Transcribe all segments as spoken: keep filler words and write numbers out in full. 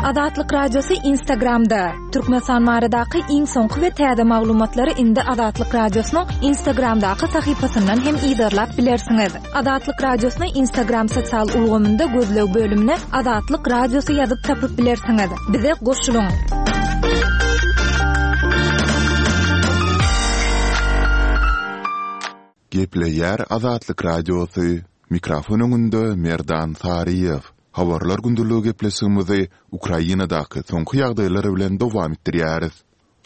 Azatlyk Radiosy Instagramda. Türkmenistan baradaky iň soňky we täze maglumatlary indi Azatlyk Radiosynyň Instagramdaky sahypasyndan hem yzarlap bilersiňiz. Azatlyk Radiosyny Instagram sosial ulgamynda gözleg bölümine Azatlyk Radiosy ýazyp tapyp bilersiňiz. Bize goşulyň. Gepleýär Azatlyk Radiosy. Mikrofon öňünde Merdan Saryýew. Habarlar gündeligi gepleşigimizi Ukrainadaky soňky ýagdaýlar bilen dowam etdirýäris.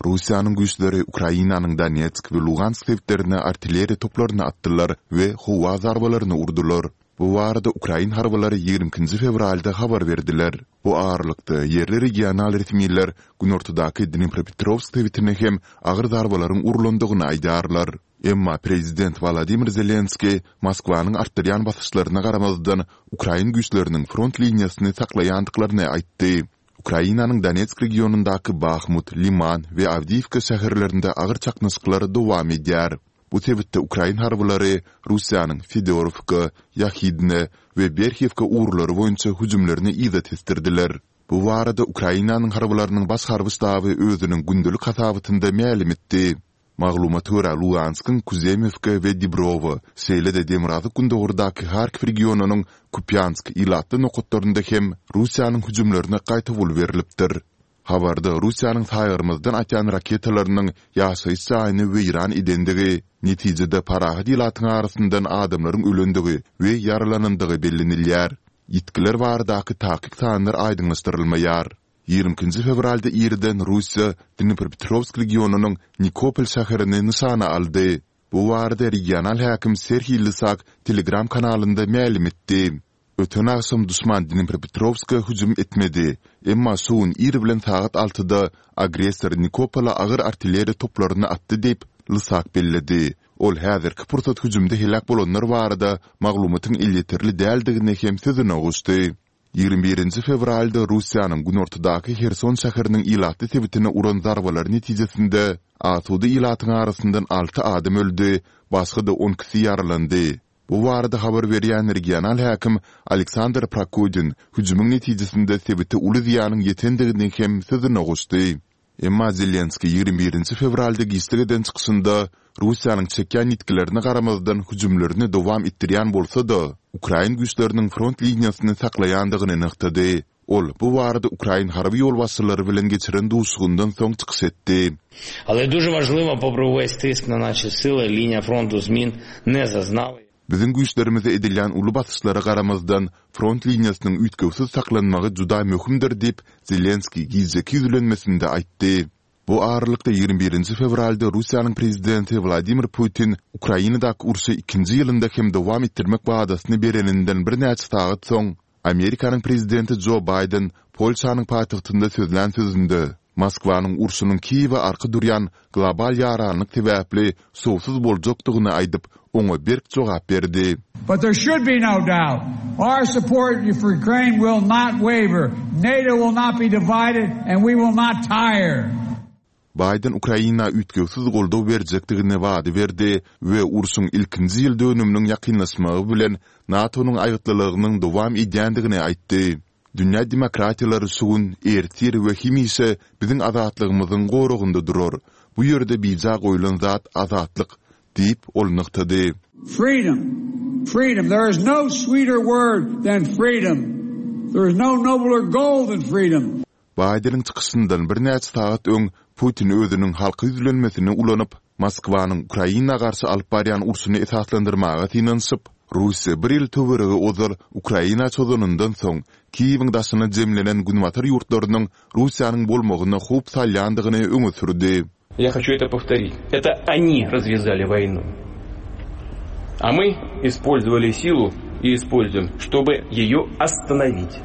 Russiýanyň güýçleri Ukrainanyň Donetsk we Lugansk sebitlerine artilleriýa toplaryny atdylar we howa zarbalaryny urdular. Bu barada ukrain harbylary ýigrimi ikinji fewralda habar berdiler. Bu aralykda, ýerli regional resmiler günortadaky Dnipropetrowsk sebitine hem agyr zarbalaryň urlandygyny aýdýarlar. Emma prezident Wolodymyr Zelenskiý Moskwanyň artdyrýan basyşlaryna garamazdan, ukrain güýçleriniň front liniýasyny saklaýandyklaryny aýtdy. Ukrainanyň Donetsk regionyndaky Bahmut, Liman we Awdiýiwka şäherlerinde agyr çaknyşyklar dowam edýär. Bu sebitde ukrain harbylary Russiýanyň Fedorowka, Ýahidne we Berhiwka ugurlary boýunça hüjümlerini yza tesdirdiler. Bu barada Ukrainanyň harbylarynyň baş harby ştaby özüniň gündelik hasabatynda mälim etdi. Maglumata görä, Luganskyň Kuzemewka we Dibrowa, şeýle-de demirgazyk-gündogardaky Harkiw regionynyň Kupýansk ilatly nokatlarynda hem Russiýanyň hüjümlerine gaýtawul berlipdir. Habarda Russiýanyň saýgarmazdan atýan raketalarynyň ýaşaýyş jaýyny weýran edendigi, netijede parahat ilatyň arasyndan adamlaryň ölendigi we ýaralanandygy bellenilýär. Ýitgiler baradaky takyk sanlar aýdyňlaşdyrylmaýar. Ýigrimi ikinji fewralda irden Russiýa Dnipropetrowsk regionynyň Nikopol şäherini nyşana aldy. Bu barada regional häkim Serhiý Lysak Telegram kanalynda mälim etdi. Öten agşam duşman Dnipropetrowska hüjüm etmedi. Emma şu gün ir bilen sagat altyda agressor Nikopola agyr artilleriýa toplaryny atdy diýip, Lysak belledi. Ol häzirki pursat hüjümde heläk bolanlar barada maglumatyň elýeterli däldigini hem sözüne goşdy. Ýigrimi birinji fewralda Russiýanyň günortadaky Herson şäheriniň ilatly sebitine uran zarbalary netijesinde asuda ilatyň arasyndan alty adam öldi, başga-da on ikisi ýaralandy. Bu barada habar berýän regional häkim Aleksandr Prokudin hüjümiň netijesinde sebite uly zyýanyň ýetendigini hem sözüne goşdy. Emma Zelenskiý ýigrimi birinji fewralda giçlik eden çykyşynda Russiýanyň çekýän ýitgilerine garamazdan hüjümlerini dowam etdirýän bolsa-da, ukrain güýçleriniň front liniýasyny saklaýandygyny nygtady. Ol bu barada ukrain harby ýolbaşçylary bilen geçiren duşuşygyndan soň çykyş etdi. Ale duže wažliwo popri uwes tisk na naše sile liniýa frontu zmin ne zaznala. Biziň güýçlerimize edilýän uly basyşlara garamazdan, front liniýasynyň üýtgewsiz saklanmagy juda möhümdir diýip, Zelenskiý gijeki ýüzlenmesinde aýtdy. Bu aralykda ýigrimi birinji fewralda Russiýanyň prezidenti Wladimir Putin Ukrainadaky urşy ikinji ýylynda hem dowam etdirmek wadasyny bereninden birnäçe sagat soň, Amerikanyň prezidenti Jo Baýden Polşanyň paýtagtynda sözlän sözünde, Moskwanyň urşunyň Kiýewe arka durýan global ýaranlyk sebäpli şowsuz boljakdygyny aýdyp, oňa berk jogap berdi. But there should be no doubt, our support for Ukraine will not waver, NATO will not be divided and we will not tire. Baýden Ukraina üýtgewsiz goldaw berjekdigini wada berdi we urşuň ilkinji ýyl dönüminiň ýakynlaşmagy bilen NATO-nyň aýgytlylygynyň dowam edýändigini aýtdy. Dünýä demokratiýalary şu gün, ertir we hemişe biziň azatlygymyzyň goragynda durar. Bu ýerde bija goýlan zat azatlyk, diýip, ol nygtady. Freedom, freedom, there is no sweeter word than freedom, there is no nobler goal than freedom. Baýdeniň çykyşyndan birnäçe sagat öň Putin özüniň halka ýüzlenmesini ulanyp, Moskwanyň Ukraina garşy alyp barýan urşuny esaslandyrmaga synanyşyp, Russiýa bir ýyl töweregi ozal Ukraina çozanyndan soň, Kiýewiň daşyna jemlenen günbatar ýurtlarynyň Russiýanyň bolmagyna howp salýandygyny öňe sürdi. Я хочу это повторить. Это они развязали войну. А мы использовали силу и используем, чтобы ее остановить.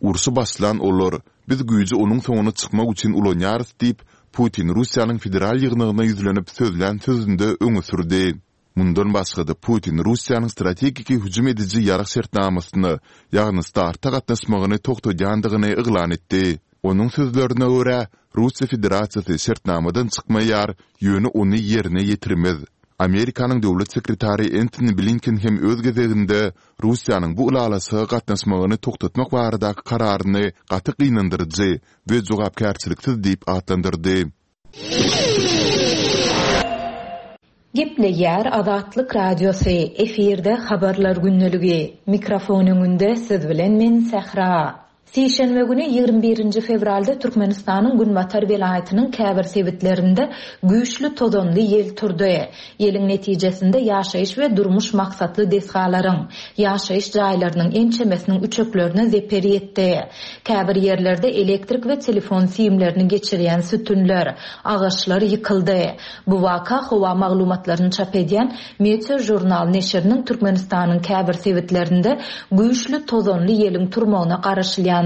Urşy başlan olar, biz güýji onuň soňuna çykmak üçin ulanýarys diýip, Putin Russiýanyň Federal ýygnagyna ýüzlenip sözlän sözünde öňe sürdi. Mundan başga-da Putin Russiýanyň strategiki hüjüm ediji ýarag şertnamasyna, ýagny START-a gatnaşmagyny togtadýandygyny yglan etdi. Onuň sözlerine görä, Russiýa Federasiýasy şertnamadan çykmaýar, ýöne ony ýerine ýetirmez. Amerikanyň döwlet sekretary Entoni Blinken hem öz gezeginde Russiýanyň bu ylalaşyga gatnaşmagyny togtatmak baradaky kararyny gaty gynandyryjy we jogapkärçiliksiz diýip atlandyrdy. Gepleýär Azatlyk Radiosy, efirde Habarlar gündeligi. Mikrofon öňünde siz bilen men Sähra. Sişenbe güni ýigrimi birinji fewralda Türkmenistanyň günbatar welaýatynyň käbir sebitlerinde güýçli tozanly ýel turdy. Ýeliň netijesinde ýaşaýyş we durmuş maksatly desgalaryň, ýaşaýyş jaýlarynyň ençemesiniň üçeklerine zeper ýetdi. Käbir ýerlerde elektrik we telefon simlerini geçirýän sütünler, agaçlar ýykyldy. Bu waka howa maglumatlaryny çap edýän Meteo Journal neşiriniň Türkmenistanyň käbir sebitlerinde güýçli tozanly ýeliň turmagyna garaşylýandygyny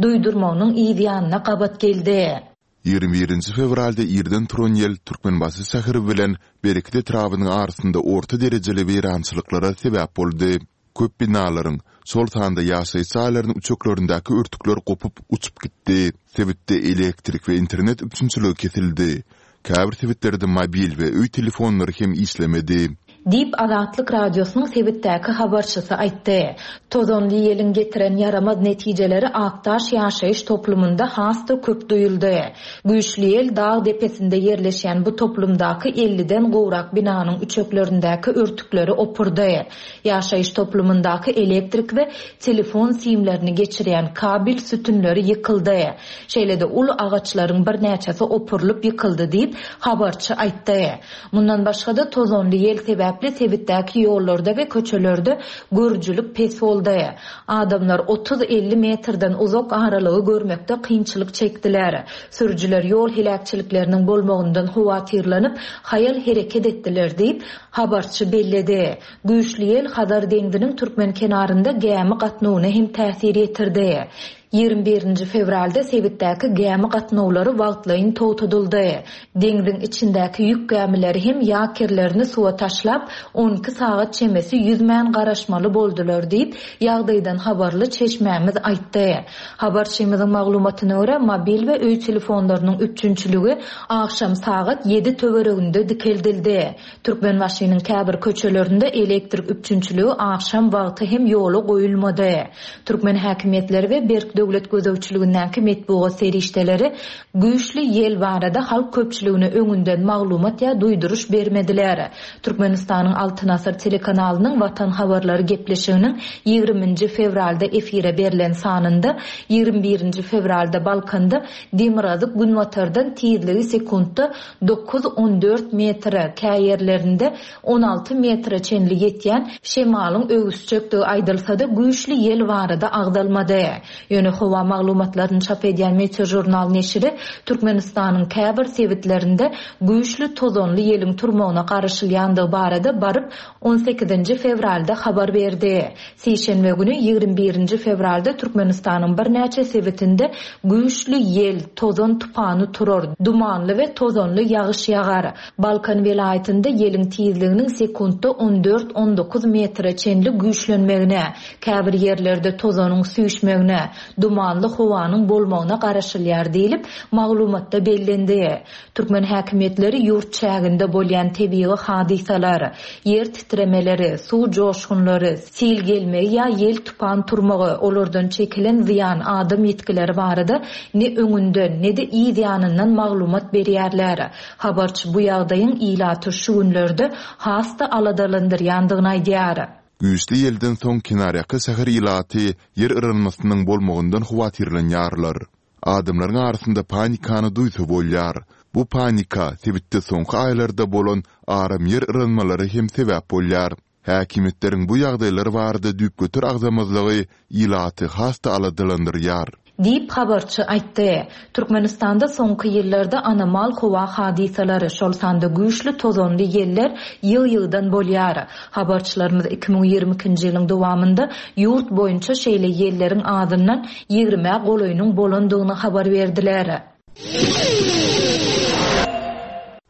duýdurmagynyň yz ýanyna gabat geldi. Ýigrimi birinji fewralda irden turan ýel Türkmenbaşy şäheri bilen Bereket etrabynyň arasynda orta derejeli weýrançylyklara sebäp boldy. Köp binalaryň, şol sanda ýaşaýyş jaýlarynyň üçeklerindäki örtükler gopup, uçup gitdi. Sebitde elektrik we internet üpjünçiligi kesildi. Käbir sebitlerde mobil we öý telefonlary hem işlemedi. Diýip, Azatlyk Radiosynyň sebitdäki habarçysy aýtdy. Tozanly ýeliň getiren ýaramaz netijeleri Akdaş ýaşaýyş toplumynda has-da köp duýuldy. Güýçli ýel dag depesinde ýerleşýän bu toplumdaky elliden gowrak binanyň üçeklerindäki örtükleri opurdy. Ýaşaýyş toplumyndaky elektrik we telefon simlerini geçirýän kabel sütünleri ýykyldy. Şeýle-de uly agaçlaryň birnäçesi opurylyp ýykyldy diýip, habarçy aýtdy. Mundan başga-da, tozanly ýel sebäpli sebitdäki ýollarda we köçelerde görüjilik pes boldy. Adamlar otuz-elli metrden uzak aralygy görmekde kynçylyk çekdiler. Sürüjiler ýol heläkçilikleriniň bolmagyndan howatyrlanyp, haýal hereket etdiler diýip, habarçy belledi. Güýçli ýel Hazar deňziniň türkmen kenarynda gämi gatnawyna hem täsir ýetirdi. Ýigrimi birinji fewralda sebitdäki gämi gatnawlary wagtlaýyn togtadyldy. Deňziň içindäki ýük gämileri hem ýakerlerini suwa taşlap, on iki sagat çemesi ýüzmän garaşmaly boldular diýip, ýagdaýdan habarly çeşmämiz aýtdy. Habarçymyzyň maglumatyna görä, mobil we öý telefonlarynyň üpjünçiligi agşam sagat ýedi töwereginde dikeldildi. Türkmenbaşynyň käbir köçelerinde elektrik üpjünçiligi agşam wagty hem ýola goýulmady. Türkmen häkimiýetleri we berk döwlet gözegçiligindäki metbugat serişdeleri güýçli ýel barada halk köpçüligine öňünden maglumat ýa duýduryş bermediler. Türkmenistanyň Altyn asyr telekanalynyň Watan habarlary gepleşiginiň ýigriminji fewralda efire berlen sanynda ýigrimi birinji fewralda Balkanda demirgazyk-günbatardan tizligi sekuntda dokuz on dört metre, käýerlerinde on alty metre çenli ýetýän şemalyň öwüsjekdigi aýdylsa-da, güýçli ýel barada agzalmady. Ýöne howa maglumatlaryny çap edýän Meteožurnal neşiri Türkmenistanyň käbir sebitlerinde güýçli tozanly ýeliň turmagyna garaşylýandygy barada baryp on sekizinji fewralda habar berdi. Sişenbe güni ýigrimi birinji fewralda Türkmenistanyň birnäçe sebitinde güýçli ýel, tozan tupany turar, dumanly we tozanly ýagyş ýagar. Balkan welaýatynda ýeliň tizliginiň sekuntda on dört on dokuz metre çenli güýçlenmegine, käbir ýerlerde tozanyň süýşmegine, dumanly howanyň bolmagyna garaşylýar diýlip, maglumatda bellendi. Türkmen häkimiýetleri ýurt çäginde bolýan tebigy hadysalar, ýer titremeleri, suw joşgunlary, sil gelmegi ýa ýel tupan turmagy, olardan çekilen zyýan, adam ýitgileri barada ne öňünden, ne-de yz ýanyndan maglumat berýärler. Habarçy bu ýagdaýyň ilaty şu günlerde has-da aladalandyrýandygyny aýdýar. Güýçli ýelden soň kenarýaka şäher ilaty ýer yranmasynyň bolmagyndan howatyrlanýarlar. Adamlaryň arasynda panikany duýsa bolýar. Bu panika sebitde soňky aýlarda bolan aram ýer yranmalary hem sebäp bolýar. Häkimiýetleriň bu ýagdaýlar barada düýpgöter agzamazlygy ilaty has-da aladalandyrýar. Diýip, habarçy aýtdy. Türkmenistanda soňky ýyllarda anomal howa hadysalary, şol sanda güýçli tozanly ýeller ýygy-ýygydan bolýar. Habarçylarymyz iki müň ýigrimi ikinji ýylyň dowamynda ýurt boýunça şeýle ýelleriň azyndan ýigrimä golaýynyň bolandygyny habar berdiler.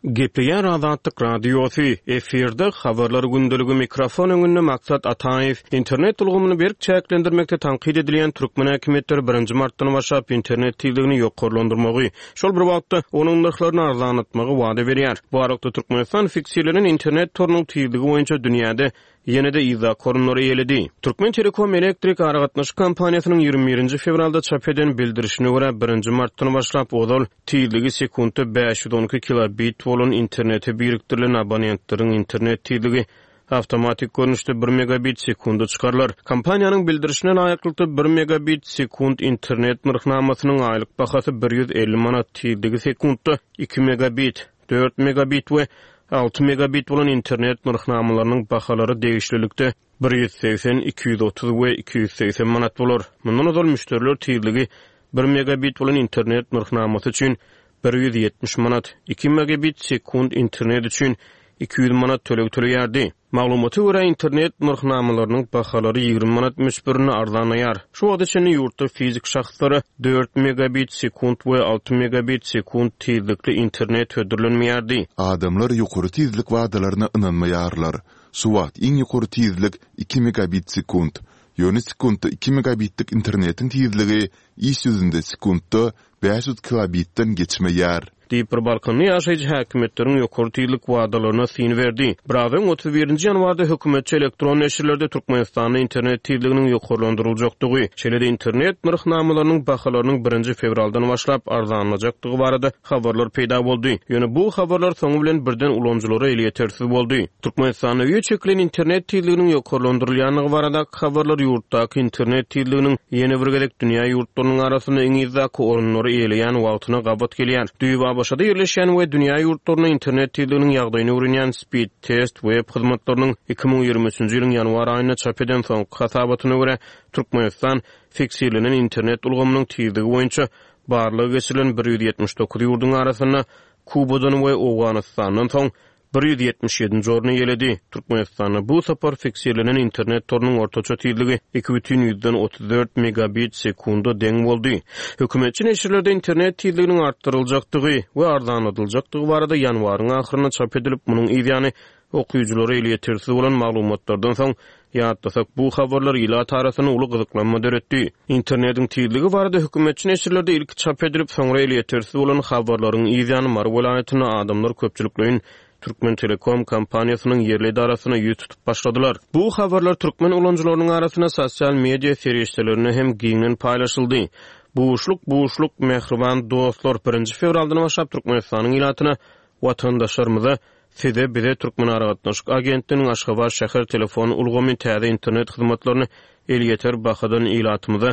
Gepleýär Azatlyk Radiosy, efirde habarlar gündeligi mikrofon öňünde Maksat Ataýew. Internet ulgamyny berk çäklendirmekde tankyt edilýän türkmen häkimiýetleri birinji martdan başlap internet tizligini ýokarlandyrmagy, şol bir wagtda onuň nyrhlaryny arzanlatmagy wada berýär. Bu aralykda Türkmenistan fiksirlenen internet torunyň tizligi boýunça dünýäde ýene-de yzdaky orunlary eýeledi. Türkmen Telekom elektrik aragatnaşyk kompaniýasynyň ýigrimi birinji fewralda çap eden bildirişine görä birinji martdan başlap ozal tizligi sekuntda bäş ýüz on iki kilobit bolan internete birikdirilen abonentleriň internet tizligi awtomatik görnüşde bir megabit sekunda çykarylar. Kompaniýanyň bildirişine laýyklykda bir megabit sekund internet nyrhnamasynyň aýlyk bahasy bir ýüz elli manat, tizligi sekuntda iki megabit, dört megabit we alty megabit bolan internet nyrhnamalarynyň bahalary degişlilikde bir ýüz segsen, iki ýüz otuz we iki ýüz segsen manat bolar. Mundan ozal müşderiler tizligi bir megabit bolan internet nyrhnamasy üçin bir ýüz ýetmiş manat, iki megabit sekund internet üçin iki ýüz manat töleg töleýärdi. Maglumata görä internet nyrhnamalarynyň bahalary ýigrimi manat möçberinde arzanlaýar. Şu wagta çenli ýurtda fizik şahslara dört megabit sekund we alty megabit sekund tizlikli internet hödürlenmeýärdi. Adamlar ýokary tizlik wadalaryna ynanmaýarlar. Şu wagt iň ýokary tizlik iki megabit sekund. Ýöne sekuntda iki megabitlik internetiň tizligi iş ýüzünde sekuntda bäş ýüz kilobitden geçmeýär. Diýip bir Balkanly ýaşaýjy häkimiýetleriň ýokary tizlik wadalaryna syn berdi. Biraz öň otuz birinji ýanwarda hökümetçi elektron neşirlerde Türkmenistanda internet tizliginiň ýokarlandyryljakdygy, şeýle-de internet nyrhnamalarynyň bahalarynyň birinji fewraldan başlap arzanlajakdygy barada habarlar peýda boldy. Ýöne bu habarlar soňy bilen birden ulanyjylara elýetersiz boldy. Türkmenistanda öýe çekilen internet tizliginiň ýokarlandyrylýandygy baradaky habarlar ýurtdaky internet tizliginiň ýene bir gezek dünýä ýurtlarynyň arasynda iň yzdaky orunlary eýeleýän wagtyna gabat gelýär. Düýbi A B Ş-da ýerleşýän we dünýä ýurtlaryna internet tizliginiň ýagdaýyny öwrenýän Speed Test web hyzmatlarynyň iki müň ýigrimi üçünji ýylyň ýanwar aýynda çap eden soňky hasabatyna görä Türkmenistan fiksirlenen internet ulgamynyň tizligi boýunça barlag geçirilen bir ýüz ýetmiş dokuz ýurduň arasynda Kubadan we Owganystandan soň bir ýüz ýetmiş ýedinji orny eýeledi. Türkmenistanda bu sapar fiksirlenen internet torunyň ortaça tizligi iki bütin ýüzden otuz dört megabit sekunda deň boldy. Hökümetçi neşirlerde internet tizliginiň artdyryljakdygy we arzanladyljakdygy barada ýanwaryň ahyrynda çap edilip, munuň ýany okyjylara elýetersiz bolan maglumatlardan soň ýatlasak bu habarlar ilat arasynda uly gyzyklanma döretdi. Internetiň tizligi barada hökümetçi neşirlerde ilki çap edilip, soňra elýetersiz bolan habarlaryň ýany Mary welaýatynda adamlar köpçülikleýin Türkmen Telekom kompaniýasynyň ýerli edarasyna ýüz tutup başladylar. Bu habarlar türkmen ulanyjylarynyň arasynda sosial media serişdelerinde hem giňden paýlaşyldy. Buşluk, buşluk, mähriban dostlar, birinji fewraldan başlap Türkmenistanyň ilatyna, watandaşlarymyza, size, bize Türkmen Aragatnaşyk Agentliginiň Aşgabat şäher telefon ulgamy täze internet hyzmatlaryny elýeter bahadan ilatymyza,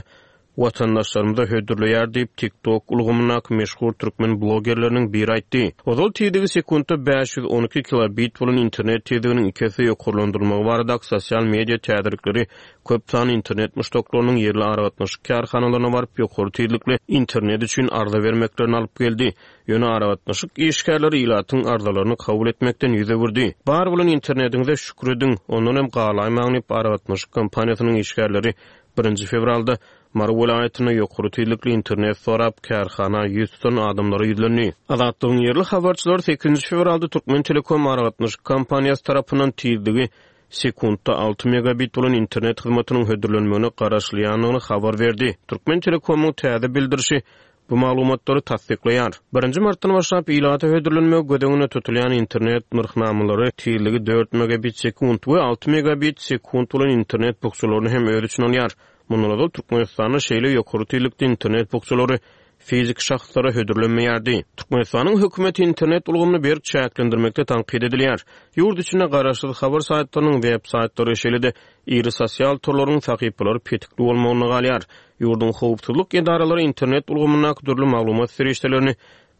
watandaşlarymyza hödürleýär diýip TikTok ulgamyndaky meşhur türkmen blogerleriniň biri aýtdy. Ozal tizligi sekuntda bäş ýüz on iki kilobit bolan internet tizliginiň iki esse ýokarlandyrylmagy baradaky sosial media täzelikleri köp sanly internet muşdaklarynyň ýerli aragatnaşyk kärhanalaryna baryp ýokary tizlikli internet üçin arza bermeklerini alyp geldi. Ýöne aragatnaşyk işgärleri ilatyň arzalaryny kabul etmekden ýüz öwürdi. Bar bolan internetiňize şükür ediň, ondan hem galaýmaň diýip aragatnaşyk kompaniýasynyň işgärleri birinji fewralda Mary welaýatynda ýokary tizlikli internet sorap kärhana ýüz tutan adamlara ýüzlendi. Azatlygyň ýerli habarçylary sekizinji fewralda Türkmen Telekom aragatnaşyk kompaniýasy tarapyndan tizligi sekuntda alty megabit bolan internet hyzmatynyň hödürlenmegine garaşylýandygyny habar berdi. Türkmen Telekomyň täze bildirişi bu maglumatlary tassyklaýar. Birinji martdan başlap ilata hödürlenmegi göz öňünde tutulýan internet nyrhnamalary tizligi dört megabit sekund we alty megabit sekund bolan internet bukjalaryny hem öz içine alýar. Mundan ozal Türkmenistanda şeýle ýokary tizlikli internet bukjalary fizik şahslara hödürlenmeýärdi. Türkmenistanyň hökümeti internet ulgamyny berk çäklendirmekde tankyt edilýär. Ýurt içinde garaşsyz habar saýtlarynyň web saýtlary şeýle-de iri sosial torlaryň sahypalary petikli bolmagyna galýar. Ýurduň howpsuzlyk edaralary internet ulgamyndaky dürli maglumat serişdelerini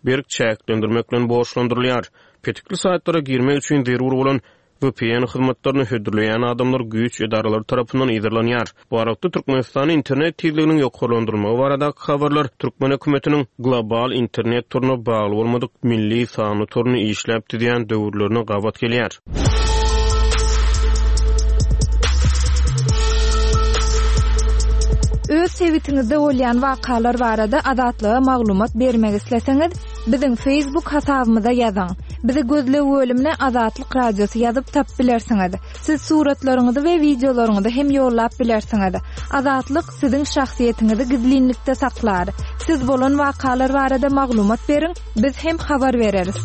berk çäklendirmek bilen borçlandyrylýar. Petikli saýtlara girmek üçin zerur bolan V P N hyzmatlaryny hödürleýän adamlar güýç edaralary tarapyndan yzarlanýar. Bu aralykda Türkmenistanyň internet tizliginiň ýokarlandyrylmagy baradaky habarlar Türkmen hökümetiniň global internet toruna bagly bolmadyk milli sanly toruny işläp düzýän döwürlerine gabat gelýär. Öz sebitiňizde bolýan wakalar barada Azatlyga maglumat bermek isleseňiz, biziň Facebook hasabymyza ýazyň. Bizi gözleg bölümine Azatlyk Radiosy ýazyp tapyp bilersiňiz. Siz suratlaryňyzy we wideolaryňyzy hem ýollap bilersiňiz. Azatlyk siziň şahsyýetiňizi gizlinlikde saklar. Siz bolan wakalar barada maglumat beriň, biz hem habar bereris.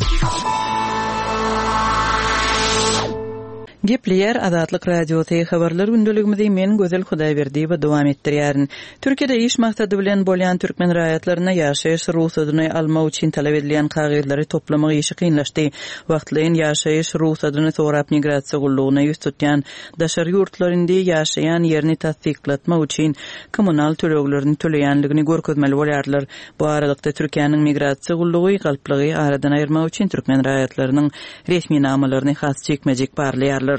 Gepleýär Azatlyk Radiosy habarlar gündeligimizi men Gözel Hudaýberdiýewa dowam etdirýärin. Türkiýede iş maksady bilen bolýan türkmen raýatlaryna ýaşaýyş rugsadyny almak üçin talap edilýän kagyzlary toplamak işi kynlaşdy. Wagtlaýyn ýaşaýyş rugsadyny sorap migrasiýa gullugyna ýüz tutýan daşary ýurtlar indi ýaşaýan ýerini tassyklatmak üçin kommunal töleglerini töleýänligini görkezmeli bolýarlar. Bu aralykda Türkiýäniň migrasiýa gullugy galplygy aradan aýyrmak üçin türkmen raýatlarynyň resminamalaryny has jikme-jik barlaýarlar.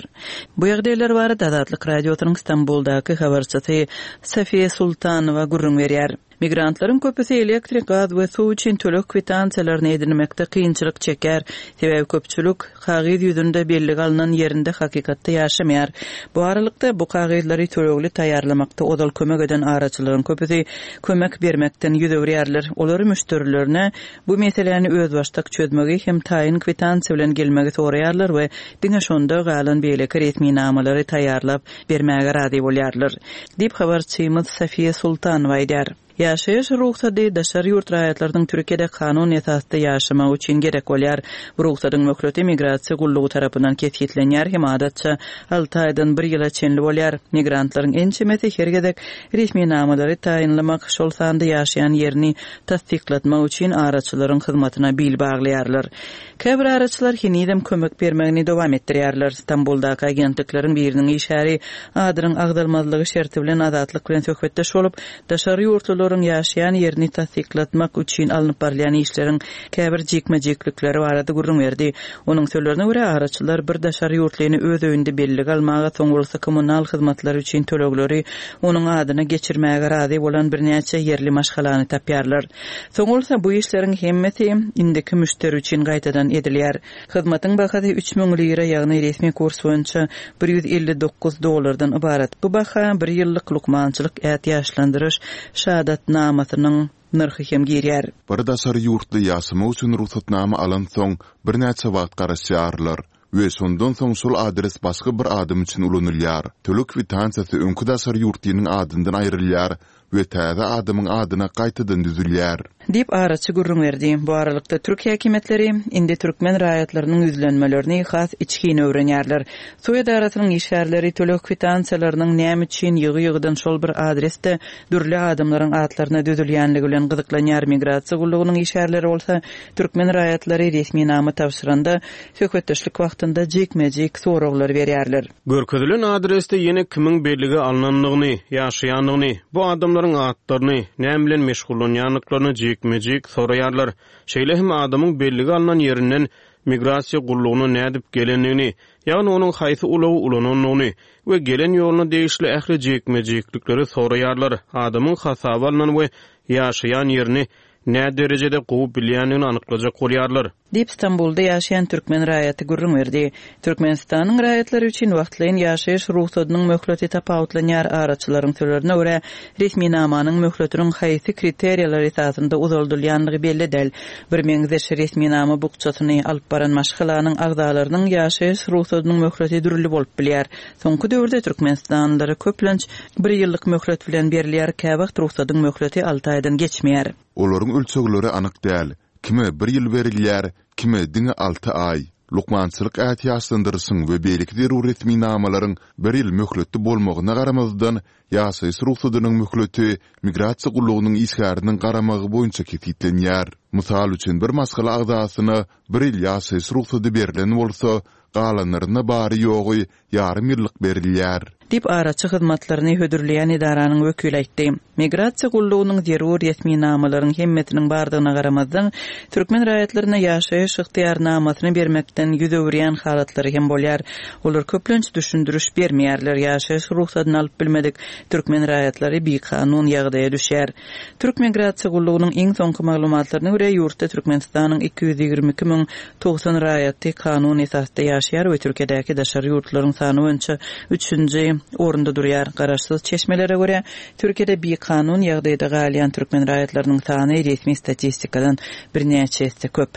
Bu ýagdaýlar barada Azatlyk Radiosynyň Stambuldaky habarçysy Safiýa Sultanowa gürrüň berýär. Migrantlaryň köpüsi elektrik, gaz we suw üçin töleg kwitansiýalaryny edinmekde kynçylyk çeker. Sebäbi köpçülik kagyz ýüzünde bellige alnan ýerinde hakykatda ýaşamaýar. Bu aralykda bu kagyzlary tölegli taýýarlamakda ozal kömek eden araçylaryň köpüsi kömek bermekden ýüz öwürýärler. Olary müşderilerine bu meseläni özbaşdak çözmegi hem taýyn kwitansiýa bilen gelmegi soraýarlar we diňe şonda galan beýleki resminamalary taýýarlap bermäge razy bolýarlar. Diýip habarçymyz Safiýa Sultanowa aýdar. Ýaşaýyş rugsady daşary ýurt raýatlarynyň Türkiýede kanun esasda ýaşamagy üçin gerek bolýar. Bu rugsadyň möhleti migrasiýa gullugy tarapyndan kesgitlenýär hem adatça alty aýdan bir ýyla çenli bolýar. Migrantlaryň ençemesi her gezek resminamalary taýynlamak, şol sanda ýaşaýan ýerini tassyklatmak üçin araçylaryň hyzmatyna bil baglaýarlar. Käbir araçylar henizem kömek bermegini dowam etdirýärler. Stambuldaky agentlikleriň biriniň işgäri adynyň agzalmazlygy şerti bilen Azatlyk bilen söhbetdeş bolup, daşary ýurtlularyň ýaşaýan ýerini tassyklatmak üçin alnyp barylýan işleriň käbir jikme-jiklikleri barada gürrüň berdi. Onuň sözlerine görä araçylar bir daşary ýurtlyny öz öýünde bellige almaga, soň bolsa kommunal hyzmatlary üçin tölegleri onuň adyna geçirmäge razy bolan birnäçe ýerli maşgalany tapýarlar. Soň bolsa bu işleriň hemmesi indiki müşderi üçin gaýtadan edilýär. Hyzmatyň bahasy üç müň lira, ýagny resmi kurs boýunça bir ýüz elli dokuz dollardan ybarat. Bu baha bir ýyllyk lukmançylyk ätiýaçlandyryş şahadatnamasynyň nyrhy hem girýär. Bir daşary ýurtly ýaşamak üçin rugsatnama alan soň birnäçe wagt garaşýarlar we şondan soň şol adres başga bir adam üçin ulanylýar. Töleg kwitansiýasy öňki daşary ýurtlynyň adyndan aýrylýar we täze adamyň adyna gaýtadan düzülýär. Diýip araçy gürrüň berdi. Bu aralykda türk häkimiýetleri indi türkmen raýatlarynyň ýüzlenmelerini has içgin öwrenýärler. Suw edarasynyň işgärleri töleg kwitansiýalarynyň näme üçin ýygy-ýygydan şol bir adresde dürli adamlaryň atlaryna düzülýänligi bilen gyzyklanýar. Migrasiýa gullugynyň işgärleri bolsa türkmen raýatlary resminama tabşyranda söhbetdeşlik wagtynda jikme-jik soraglar berýärler. Görkezilen adresde ýene kimiň bellige alnandygyny, ýaşaýandygyny, bu adamlaryň atlaryny, näme bilen meşgullanýandyklaryny jikme-jik soraýarlar. Şeýle hem adamyň bellige alnan ýerinden migrasiýa gullugyna nädip gelendigini, ýagny onuň haýsy ulagy ulanandygyny we gelen ýoluna degişli ähli jikme-jiklikleri soraýarlar. Adamyň hasaba alnan we ýaşaýan ýerini nä derejede gowy bilýändigini anyklajak bolýarlar. Diýip Stambulda ýaşaýan türkmen raýaty gürrüň berdi. Türkmenistanyň raýatlary üçin wagtlaýyn ýaşaýyş rugsadynyň möhleti tapawutlanýar. Araçylaryň sözlerine görä resminamanyň möhletiniň haýsy kriteriýalar esasynda uzaldylýandygy belli däl. Bir meňzeş resminama bukjasyny alyp baran maşgalanyň agzalarynyň ýaşaýyş rugsadynyň möhleti dürli bolup bilýär. Soňky döwürde Türkmenistanlylara köplenç bir ýyllyk möhlet bilen berilýär, käwagt rugsadyň möhleti alty aýdan geçmeýär. Olaryň ölçegleri anyk däl. Kime bir ýyl berilýär, kime diňe alty aý. Lukmançylyk ätiýaçlandyryşyň we beýleki zerur resminamalaryň bir ýyl möhletli bolmagyna garamazdan, ýaşaýyş rugsadynyň möhleti migrasiýa gullugynyň işgäriniň garamagy boýunça kesgitlenýär. Mysal üçin bir maşgala agzasyna bir ýyl ýaşaýyş rugsady berlen bolsa, galanlaryna bary ýogy ýarym ýyllyk berilýär. Diýip araçy hyzmatlaryny hödürleýän edaranyň wekili aýtdy. Migrasiýa gullugynyň zerur resminamalaryň hemmesiniň bardygyna garamazdan, türkmen raýatlaryna ýaşaýyş ygtyýarnamasyny bermekden ýüz öwürýän halatlary hem bolýar. Olar köplenç düşündiriş bermeýärler. Ýaşaýyş rugsadyny alyp bilmedik türkmen raýatlary bikanun ýagdaýa düşýär. Türk migrasiýa gullugynyň iň soňky maglumatlaryna görä ýurtda Türkmenistanyň iki ýüz ýigrimi iki müň togsan raýaty kanun esasda ýaşaýar we Türkiýedäki daşary ýurtlaryň sany boýunça üçünji orunda durýar. Garaşsyz çeşmelere görä Türkiýede bikanun ýagdaýda galýan türkmen raýatlarynyň sany resmi statistikadan birnäçe esse köp.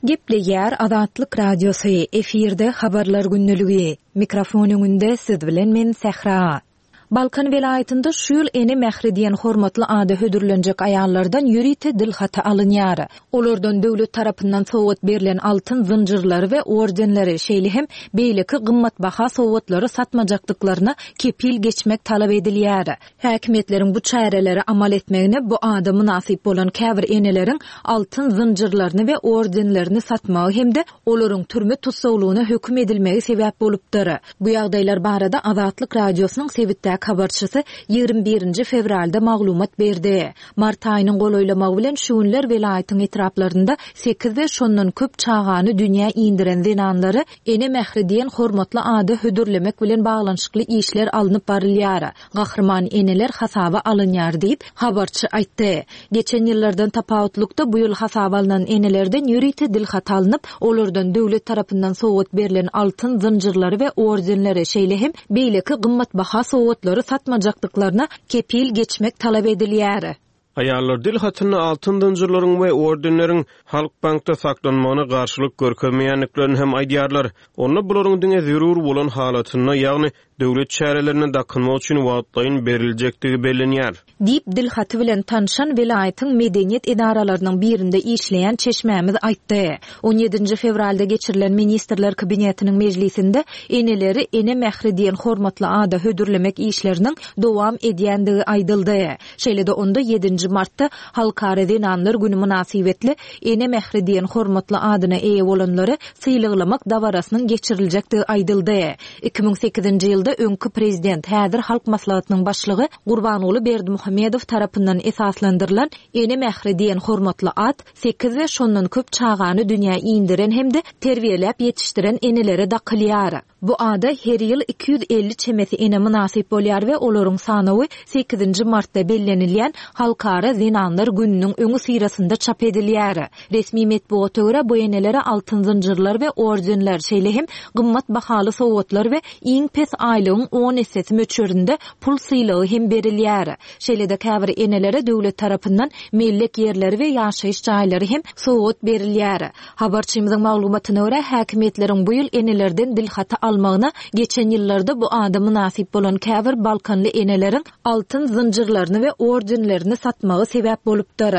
Gepleýär Azatlyk Radiosy, efirde Habarlar gündeligi. Mikrofon öňünde siz bilen men Sähra. Balkan welaýatynda şu ýyl Ene mähri diýen hormatly ada hödürlenjek aýallardan ýörite dilhaty alynýar. Olardan döwlet tarapyndan sowgat berlen altyn zynjyrlary we ordenleri, şeýle hem beýleki gymmatbaha sowgatlary satmajakdyklaryna kepil geçmek talap edilýär. Häkimiýetleriň bu çärelere amal etmegine bu ada mynasyp bolan käbir eneleriň altyn zynjyrlaryny we ordenlerini satmagy hem-de olaryň türme tussaglygyna höküm edilmegi sebäp bolupdyr. Bu ýagdaýlar barada Azatlyk Radiosynyň sebitdäki habarçysy ýigrimi birinji fewralda maglumat berdi. Mart aýynyň golaýlamagy bilen şu günler welaýatyň etraplarynda sekiz we şondan köp çagany dünýä indiren zenanlary Ene mähri diýen hormatly ada hödürlemek bilen baglanyşykly işler alnyp barylýar. Gahryman eneler hasaba alynýar diýip, habarçy aýtdy. Geçen ýyllardan tapawutlykda bu ýyl hasaba alnan enelerden ýörite dilhat alnyp, olardan döwlet tarapyndan sowgat berlen altyn zynjyrlary we ordenleri, şeýle hem beýleki gymmatbaha sowgatlary satmajakdyklaryna kepil geçmek talap edilýär. Aýallar dil hatynda altyn zynjyrlaryň we ordenleriň Halk bankda saklanmagyna garşylyk görkezmeýändiklerini hem aýdýarlar. Onda bularyň diňe zerur bolan halatynda, ýagny döwlet çärelerine dakynmak üçin wagtlaýyn beriljekdigi bellenýär. Diýip, dil haty bilen tanşan welaýatyň medeniýet edaralarynyň birinde işleýän çeşmämiz aýtdy. On ýedinji fewralda geçirilen Ministrler Kabinetiniň mejlisinde eneleri Ene mähri diýen hormatly ada hödürlemek işleriniň dowam edýändigi aýdyldy. Şeýle-de onda ýedinji martda Halkara zenanlar güni mynasybetli Ene mähri diýen hormatly adyna eýe bolanlary sylaglamak dabarasynyň geçiriljekdigi aýdyldy. Iki müň sekizinji ýylda öňki prezident, häzir Halk Maslahatynyň başlygy Gurbanguly Berdimuhamedow tarapyndan esaslandyrylan Ene mähri diýen hormatly at sekiz we şondan köp çagany dünýä indiren hem-de terbiýeläp ýetişdiren enelere dakylýar. Bu ada her ýyl iki ýüz elli çemesi ene mynasyp bolýar we olaryň sanawy sekizinji martda bellenilýän Halkara zenanlar gününiň öňüsyrasynda çap edilýär. Resmi metbugata görä bu enelere altyn zynjyrlar we ordenler, şeýle hem gymmat bahaly sowgatlar we iň pes aýlygyň on essesi möçberinde pul sylagy hem berilýär. Şeýle-de käbir enelere döwlet tarapyndan mellek ýerleri we ýaşaýyş jaýlary hem sowgat berilýär. Habarçymyzyň maglumatyna görä, häkimiýetleriň bu ýyl enelerden dilhaty almagyna geçen ýyllarda bu ada mynasyp bolan käbir balkanly eneleriň altyn zynjyrlaryny we ordenlerini satmagy sebäp bolupdyr.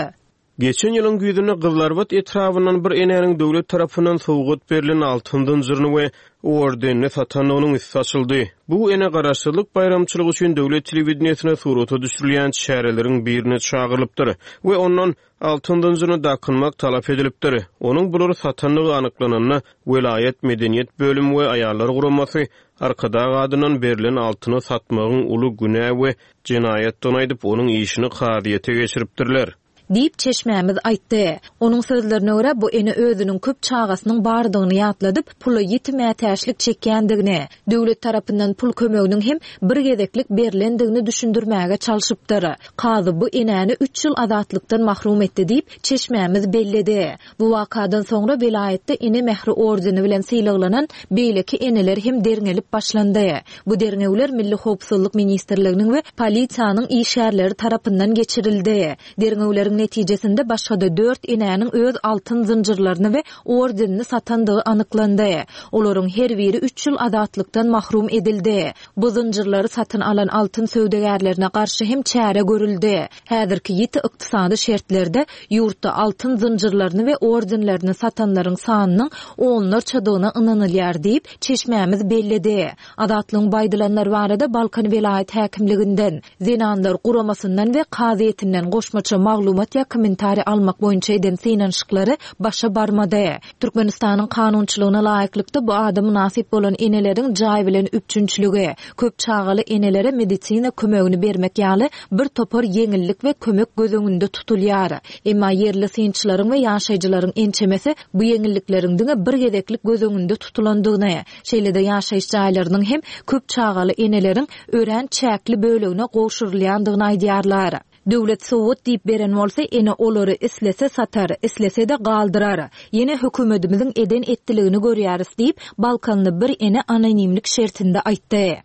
Geçen ýylyň güýzünde Gyzlarbat etrabyndan bir enäniň döwlet tarapyndan sowgat berlen altyn zynjyryny we ordenini satandygynyň üsti açyldy. Bu ene garaşsyzlyk baýramçylygy üçin döwlet telewideniýesine surata düşürilýän çäreleriň birine çagyrylypdyr we ondan altyn zynjyryny dakynmak talap edilipdir. Onuň bulary satandygy anyklananda welaýat medeniýet bölümi we aýallar guramasy Arkadag adyndan berlen altyny satmagyň uly günä we jenaýatdygyny aýdyp, onuň işini kazyýete geçiripdirler. Diýip çeşmämiz aýtdy. Onuň sözlerine görä bu ene özüniň köp çagasynyň bardygyny ýatladyp, pula ýiti mätäçlik çekýändigini, döwlet tarapyndan pul kömeginiň hem bir gezeklik berlendigini düşündirmäge çalşypdyr. Kazy bu enäni üç ýyl azatlykdan mahrum etdi diýip çeşmämiz belledi. Bu wakadan soňra welaýatda Ene mähri ordeni bilen sylaglanan beýleki eneler hem derňelip başlandy. Bu derňewler Milli Howpsuzlyk Ministrliginiň we polisiýanyň işgärleri tarapyndan geçirildi. Derňewleriň netijesinde başga-da dört enäniň öz altyn zynjyrlaryny we ordenini satandygy anyklandy. Olaryň her biri üç ýyl azatlykdan mahrum edildi. Bu zynjyrlary satyn alan altyn söwdagärlerine garşy hem çäre görüldi. Häzirki ýiti ykdysady şertlerde ýurtda altyn zynjyrlaryny we ordenlerini satanlaryň sanynyň onlarçadygyna ynanylýar diýip çeşmämiz belledi. Azatlygyň baýdylanlar barada Balkan welaýat häkimliginden, zenanlar guramasyndan we kazyýetinden goşmaça maglumat ýa kommentariý almak boýunça eden synanyşyklary başa barmady. Türkmenistanyň kanunçylygyna laýyklykda bu ada mynasyp bolan eneleriň jaý bilen üpjünçiligi, köp çagaly enelere medisina kömegini bermek ýaly bir topar ýeňillik we kömek göz öňünde tutulýar. Emma ýerli synçylaryň we ýaşaýjylaryň ençemesi bu ýeňillikleriň diňe bir gezeklik göz öňünde tutulandygyny, şeýle-de ýaşaýyş jaýlarynyň hem köp çagaly eneleriň örän çäkli bölegine gowşurylýandygyny aýdýarlar. Döwlet sowgat diýip beren bolsa, ene olary islese satar, islese-de galdyrar. Ýene hökümetimiziň eden etdiligini görýäris diýip, Balkanly bir ene anonimlik şertinde aýtdy.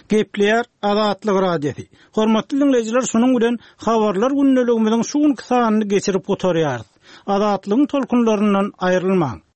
Gepleýär Azatlyk Radiosy. Hormatly diňleýjiler, şunuň bilen habarlar gündeligimiziň şu günki sanyny geçirip gutarýarys. Azatlygyň tolkunlaryndan aýrylmaň.